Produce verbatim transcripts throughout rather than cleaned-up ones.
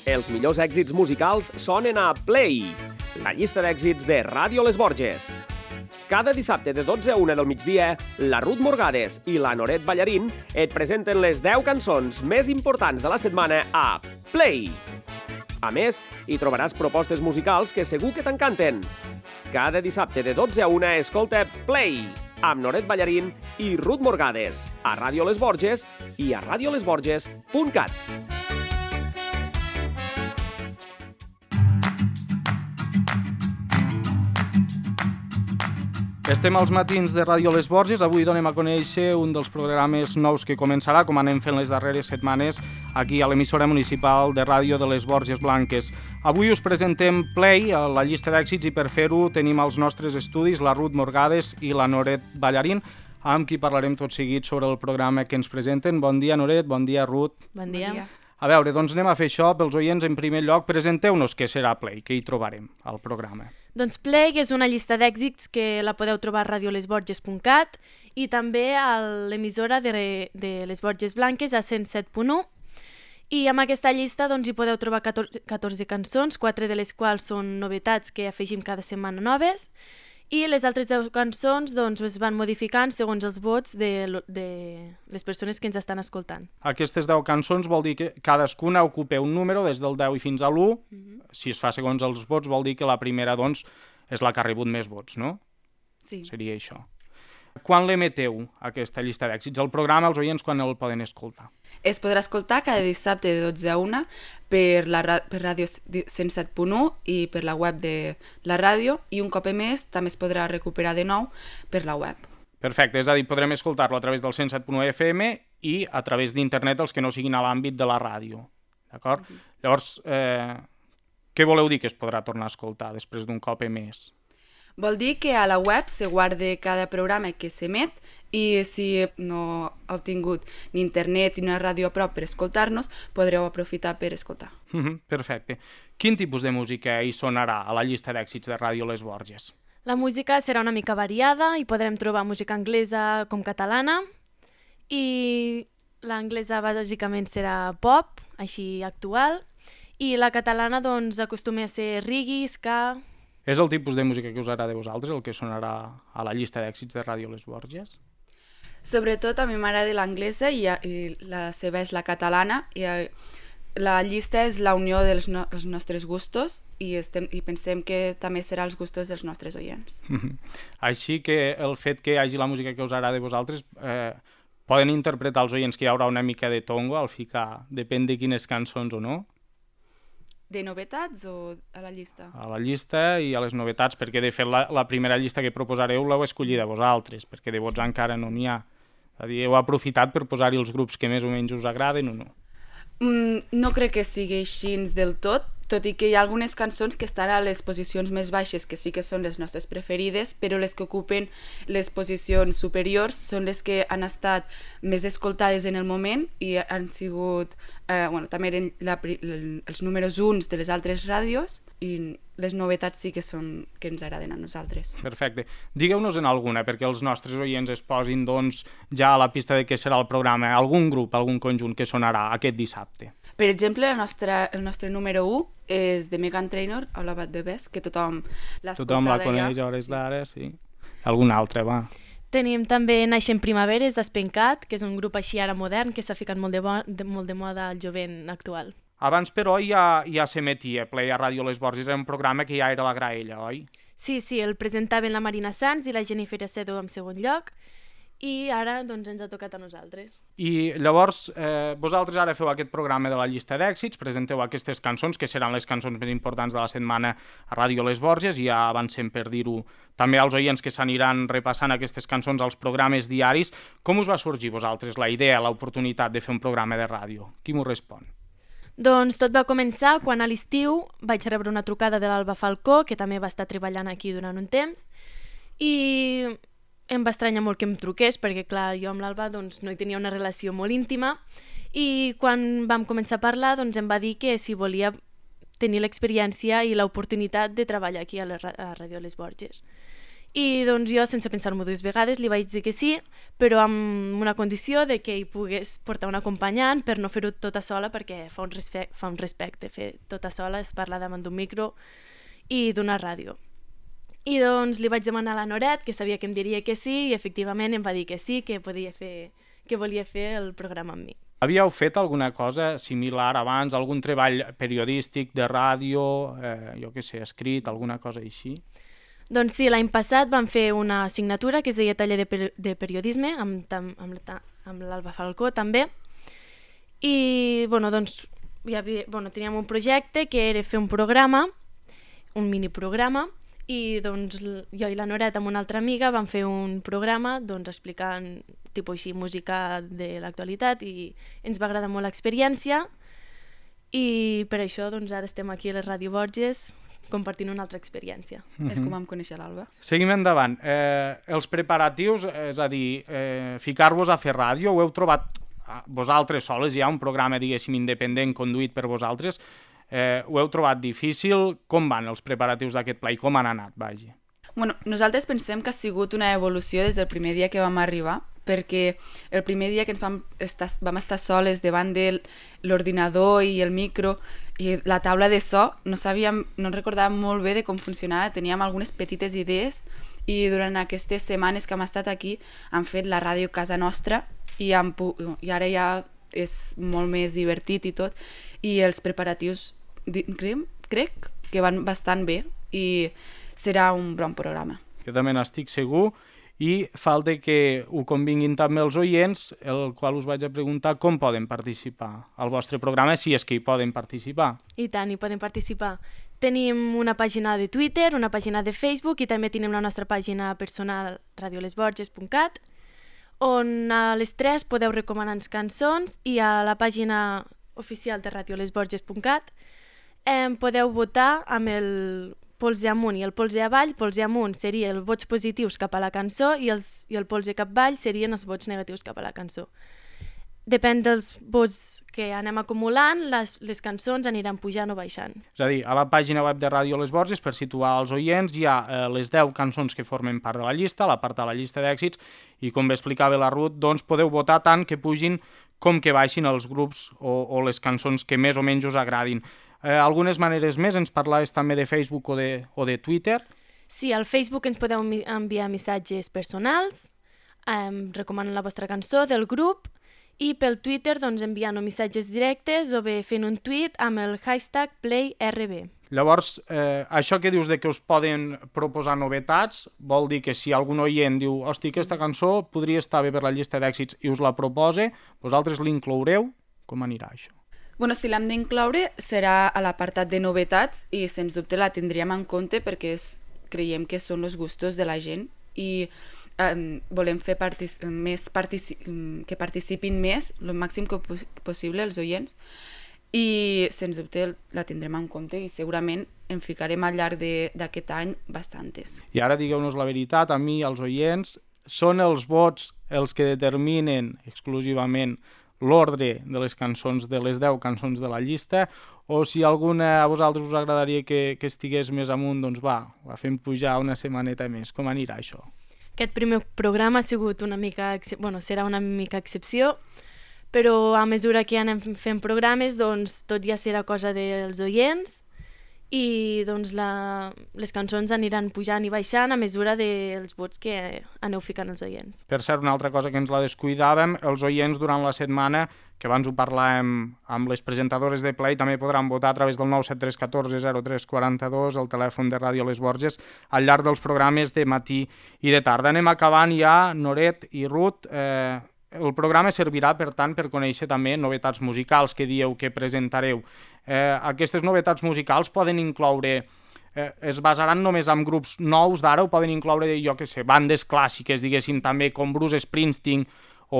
Els millors èxits musicals sonen a Play, la llista d'èxits de Ràdio Les Borges. Cada dissabte de dotze a una del migdia, la Ruth Morgades i la Noret Ballarín et presenten les deu cançons més importants de la setmana a Play. A més, hi trobaràs propostes musicals que segur que t'encanten. Cada dissabte de dotze a una escolta Play, amb Noret Ballarín i Ruth Morgades, a Ràdio Les Borges i a radio les borges punt cat. Estem als matins de Ràdio Les Borges. Avui donem a conèixer un dels programes nous que començarà, com anem fent les darreres setmanes, aquí a l'emissora municipal de ràdio de les Borges Blanques. Avui us presentem Play, la llista d'èxits, i per fer-ho tenim als nostres estudis la Ruth Morgades i la Noret Ballarín, amb qui parlarem tot seguit sobre el programa que ens presenten. Bon dia, Noret, bon dia, Ruth. Bon dia. Bon dia. A veure, doncs anem a fer això pels oients. En primer lloc, presenteu-nos què serà Play, què hi trobarem al programa. Doncs Play és una llista d'èxits que la podeu trobar a radio les borges punt cat i també a l'emissora de, de les Borges Blanques a cent set punt u. I amb aquesta llista doncs, hi podeu trobar catorze, catorze cançons, quatre de les quals són novetats que afegim cada setmana noves, i les altres deu cançons doncs, es van modificant segons els vots de, de les persones que ens estan escoltant. Aquestes deu cançons vol dir que cadascuna ocupa un número des del deu i fins a l'u. Mm-hmm. Si es fa segons els vots vol dir que la primera doncs, és la que ha rebut més vots, no? Sí. Seria això. Quan l'emeteu, aquesta llista d'èxits? El programa, els oients, quan el poden escoltar? Es podrà escoltar cada dissabte de dotze a una per, la, per ràdio cent set punt u i per la web de la ràdio, i un cop més també es podrà recuperar de nou per la web. Perfecte, és a dir, podrem escoltar-lo a través del cent set punt u F M i a través d'internet els que no siguin a l'àmbit de la ràdio. D'acord? Mm-hmm. Llavors, eh, què voleu dir que es podrà tornar a escoltar després d'un cop emès? Vol dir que a la web se guarda cada programa que s'emet, i si no heu tingut ni internet ni una ràdio a prop per escoltar-nos, podreu aprofitar per escoltar. Mm-hmm, perfecte. Quin tipus de música hi sonarà a la llista d'èxits de Ràdio Les Borges? La música serà una mica variada i podrem trobar música anglesa com catalana, i l'anglesa bàsicament serà pop, així actual, i la catalana doncs acostuma a ser reggae, ska. És el tipus de música que us agrada a vosaltres, el que sonarà a la llista d'èxits de Ràdio Les Borges? Sobretot a mi m'agrada l'anglesa i, i la seva és la catalana, i la llista és la unió dels no, nostres gustos, i, estem, i pensem que també serà els gustos dels nostres oients. Així que el fet que hi hagi la música que us agrada a vosaltres, eh, poden interpretar els oients que hi haurà una mica de tongo al ficar, depèn de quines cançons o no? De novetats o a la llista? A la llista i a les novetats, perquè de fet la, la primera llista que proposareu l'heu escollida vosaltres, perquè de vots encara no n'hi ha. És a dir, heu aprofitat per posar-hi els grups que més o menys us agraden o no? Mm, no crec que sigui així del tot, tot i que hi ha algunes cançons que estan a les posicions més baixes, que sí que són les nostres preferides, però les que ocupen les posicions superiors són les que han estat més escoltades en el moment i han sigut, eh, bueno, també eren la, els números uns de les altres ràdios, i les novetats sí que són que ens agraden a nosaltres. Perfecte. Digueu-nos en alguna, perquè els nostres oients es posin doncs, ja a la pista de què serà el programa, algun grup, algun conjunt que sonarà aquest dissabte. Per exemple, el nostre, el nostre número u és de Meghan Trainor, All About the Best, que tothom l'ha escoltada. Tothom la coneix a hores d'ara, sí. Algun altre, va. Tenim també Naixent Primaveres, d'Espencat, que és un grup així ara modern, que s'ha ficat molt de, bo, de, molt de moda al jovent actual. Abans, però, ja, ja s'emetia Play a Ràdio Les Borges, era un programa que ja era la graella, oi? Sí, sí, el presentaven la Marina Sanz i la Jennifer Acedo en segon lloc, i ara doncs, ens ha tocat a nosaltres. I llavors, eh, vosaltres ara feu aquest programa de la llista d'èxits, presenteu aquestes cançons, que seran les cançons més importants de la setmana a Ràdio Les Borges, i ja avancem per dir-ho també als oients que s'aniran repassant aquestes cançons als programes diaris. Com us va sorgir vosaltres la idea, l'oportunitat de fer un programa de ràdio? Qui m'ho respon? Doncs tot va començar quan a l'estiu vaig rebre una trucada de l'Alba Falcó, que també va estar treballant aquí durant un temps, i em va estranyar molt que em truqués, perquè clar, jo amb l'Alba doncs, no hi tenia una relació molt íntima, i quan vam començar a parlar doncs, em va dir que si volia tenir l'experiència i l'oportunitat de treballar aquí a la a Ràdio Les Borges. I doncs jo, sense pensar-m'ho dues vegades, li vaig dir que sí, però amb una condició de que hi pogués portar un acompanyant per no fer-ho tota sola, perquè fa un, respecte, fa un respecte fer tota sola, es parla davant d'un micro i d'una ràdio. I doncs li vaig demanar a la Noret, que sabia que em diria que sí, i efectivament em va dir que sí, que podia fer, que volia fer el programa amb mi. Havíeu fet alguna cosa similar abans, algun treball periodístic de ràdio, eh, jo què sé, escrit, alguna cosa així? Doncs sí, l'any passat vam fer una assignatura que es deia taller de, per de periodisme amb, amb, amb l'Alba Falcó també, i bueno, doncs, hi havia, bueno, teníem un projecte que era fer un programa, un miniprograma, i doncs jo i la Noret amb una altra amiga vam fer un programa doncs, explicant tipus així música de l'actualitat, i ens va agradar molt l'experiència, i per això doncs, ara estem aquí a les Ràdio Borges compartint una altra experiència. Mm-hmm. És com vam conèixer l'Alba. Seguim endavant. Eh, els preparatius, és a dir, eh, ficar-vos a fer ràdio, ho heu trobat vosaltres soles, hi ha un programa, diguéssim, independent conduït per vosaltres, eh, ho heu trobat difícil? Com van els preparatius d'aquest pla i com han anat, vagi? Bueno, nosaltres pensem que ha sigut una evolució des del primer dia que vam arribar, perquè el primer dia que ens vam estar, vam estar soles davant de l'ordinador i el micro i la taula de so, no sabíem, no recordàvem molt bé de com funcionava, teníem algunes petites idees, i durant aquestes setmanes que hem estat aquí hem fet la ràdio casa nostra i, hem, i ara ja és molt més divertit i tot, i els preparatius crec, crec que van bastant bé i serà un bon programa. Jo també n'estic segur, i falta que ho convinguin també els oients, el qual us vaig a preguntar com poden participar al vostre programa, si és que hi poden participar. I tant, hi poden participar. Tenim una pàgina de Twitter, una pàgina de Facebook, i també tenim la nostra pàgina personal radio les borges punt cat, on a les tres podeu recomanar-nos cançons, i a la pàgina oficial de radio les borges punt cat eh, podeu votar amb el polze amunt i el polze avall. Polze amunt seria els vots positius cap a la cançó i, els, i el polze capvall serien els vots negatius cap a la cançó. Depèn dels vots que anem acumulant, les, les cançons aniran pujant o baixant. És a dir, a la pàgina web de Ràdio Les Borges, per situar els oients, hi ha eh, les deu cançons que formen part de la llista, la part de la llista d'èxits, i com bé explicava la Ruth, doncs podeu votar tant que pugin com que baixin els grups o, o les cançons que més o menys us agradin. Eh, algunes maneres més, ens parlaves també de Facebook o de, o de Twitter. Sí, al Facebook ens podeu enviar missatges personals, eh, recomanant la vostra cançó del grup, i pel Twitter doncs, enviant missatges directes o bé fent un tuit amb el hashtag PlayRB. Llavors, eh, això que dius de que us poden proposar novetats, vol dir que si algun oient diu hosti, aquesta cançó podria estar bé per la llista d'èxits i us la propose, vosaltres l'incloureu? Com anirà això? Bueno, si l'hem d'incloure serà a l'apartat de novetats i sens dubte la tindríem en compte perquè és, creiem que són els gustos de la gent i Um, volem fer partic més partici que participin més, el màxim que pos possible els oients, i sens dubte la tindrem en compte i segurament en ficarem al llarg d'aquest any bastantes. I ara digueu-nos la veritat, a mi, als oients, són els vots els que determinen exclusivament l'ordre de les cançons, de les deu cançons de la llista, o si alguna a vosaltres us agradaria que, que estigués més amunt, doncs va, la fem pujar una setmaneta més. Com anirà això? Aquest primer programa ha sigut una mica, bueno, serà una mica excepció, però a mesura que anem fent programes, doncs tot ja serà cosa dels oients i doncs la, les cançons aniran pujant i baixant a mesura dels vots que aneu ficant els oients. Per cert, una altra cosa que ens la descuidàvem, els oients durant la setmana, que abans ho parlàvem amb les presentadores de Play, també podran votar a través del nou set tres un quatre zero tres quatre dos, el telèfon de Ràdio Les Borges, al llarg dels programes de matí i de tarda. Anem acabant ja, Noret i Ruth. Eh, el programa servirà, per tant, per conèixer també novetats musicals que dieu que presentareu. Eh, aquestes novetats musicals poden incloure, eh, es basaran només en grups nous d'ara o poden incloure, jo què sé, bandes clàssiques, diguéssim, també com Bruce Springsteen o,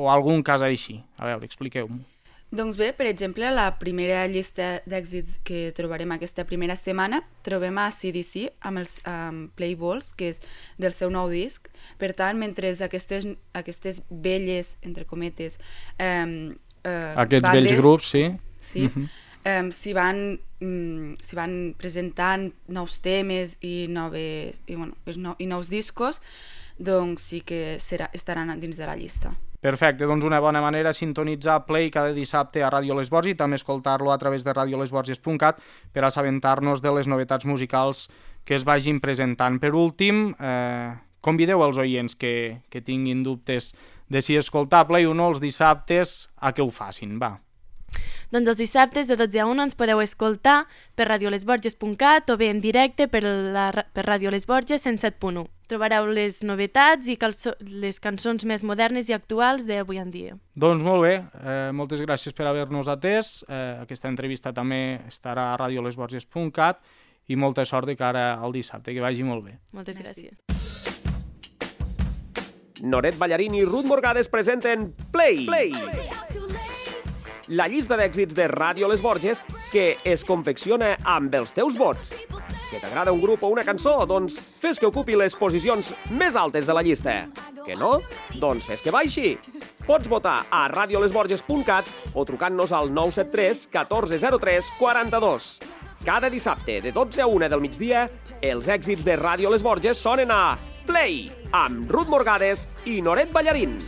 o algun cas així? A veure, expliqueu-m'ho. Doncs bé, per exemple, a la primera llista d'èxits que trobarem aquesta primera setmana trobem a C D C amb els um, Playballs, que és del seu nou disc. Per tant, mentre aquestes, aquestes velles, entre cometes, um, uh, aquests bandes, vells grups, sí. Sí, uh-huh. eh, s'hi van, mm, s'hi van presentant nous temes i, noves, i, bueno, no, i nous discos, doncs sí que serà, estaran dins de la llista. Perfecte, doncs una bona manera sintonitzar Play cada dissabte a Ràdio Les Borges i també escoltar-lo a través de radio les borges punt cat per assabentar-nos de les novetats musicals que es vagin presentant. Per últim, eh, convideu els oients que, que tinguin dubtes de si escoltar Play o no els dissabtes a que ho facin, va. Doncs els dissabtes de dotze a una ens podeu escoltar per radio les borges punt cat o bé en directe per, la, per Ràdio Les Borges cent set punt u. Trobareu les novetats i calço, les cançons més modernes i actuals d'avui en dia. Doncs molt bé, eh, moltes gràcies per haver-nos atès. Eh, aquesta entrevista també estarà a radio les borges punt cat i molta sort de cara al dissabte, que vagi molt bé. Moltes gràcies. Noret Ballarín i Ruth Morgades presenten Play! Play! La llista d'èxits de Ràdio Les Borges que es confecciona amb els teus vots. Que t'agrada un grup o una cançó? Doncs fes que ocupi les posicions més altes de la llista. Que no? Doncs fes que baixi. Pots votar a radio les borges punt cat o trucant-nos al nou set tres catorze zero tres quaranta-dos. Cada dissabte de dotze a una del migdia, els èxits de Ràdio Les Borges sonen a Play, amb Ruth Morgades i Noret Ballarín.